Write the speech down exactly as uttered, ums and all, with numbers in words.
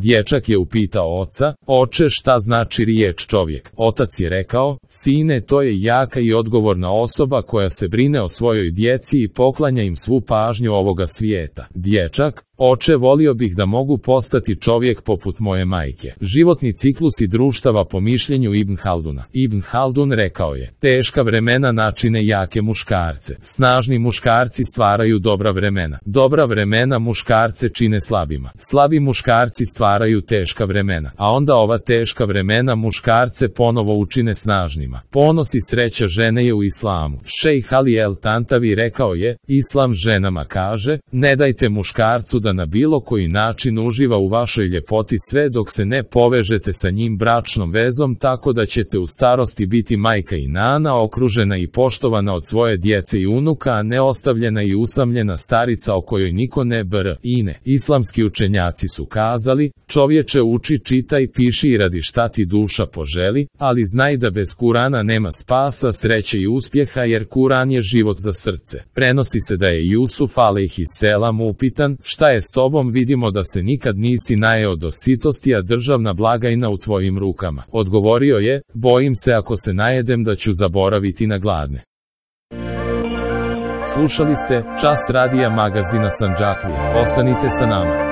Dječak je upitao oca: oče, šta znači riječ čovjek? Otac je rekao: sine, to je jaka i odgovorna osoba koja se brine o svojoj djeci i poklanja im svu pažnju ovoga svijeta. Dječak: oče, volio bih da mogu postati čovjek poput moje majke. Životni ciklus i društava po mišljenju Ibn Halduna. Ibn Haldun rekao je: teška vremena načine jake muškarce. Snažni muškarci stvaraju dobra vremena. Dobra vremena muškarce čine slabima. Slabi muškarci stvaraju teška vremena. A onda ova teška vremena muškarce ponovo učine snažnima. Ponos i sreća žene je u islamu. Šejh Ali El Tantavi rekao je: islam ženama kaže: ne dajte muškarcu da na bilo koji način uživa u vašoj ljepoti sve dok se ne povežete sa njim bračnom vezom, tako da ćete u starosti biti majka i nana, okružena i poštovana od svoje djece i unuka, a ne ostavljena i usamljena starica o kojoj niko ne br ine. Islamski učenjaci su kazali: čovječe, uči, čitaj, piši i radi šta ti duša poželi, ali znaj da bez Kurana nema spasa, sreće i uspjeha, jer Kuran je život za srce. Prenosi se da je Jusuf alejhiselam upitan: šta je s tobom? Vidimo da se nikad nisi najeo do sitosti, a državna blagajna u tvojim rukama. Odgovorio je: bojim se ako se najedem da ću zaboraviti na gladne. Slušali ste Čas radija magazina Sandžaklija. Ostanite sa nama.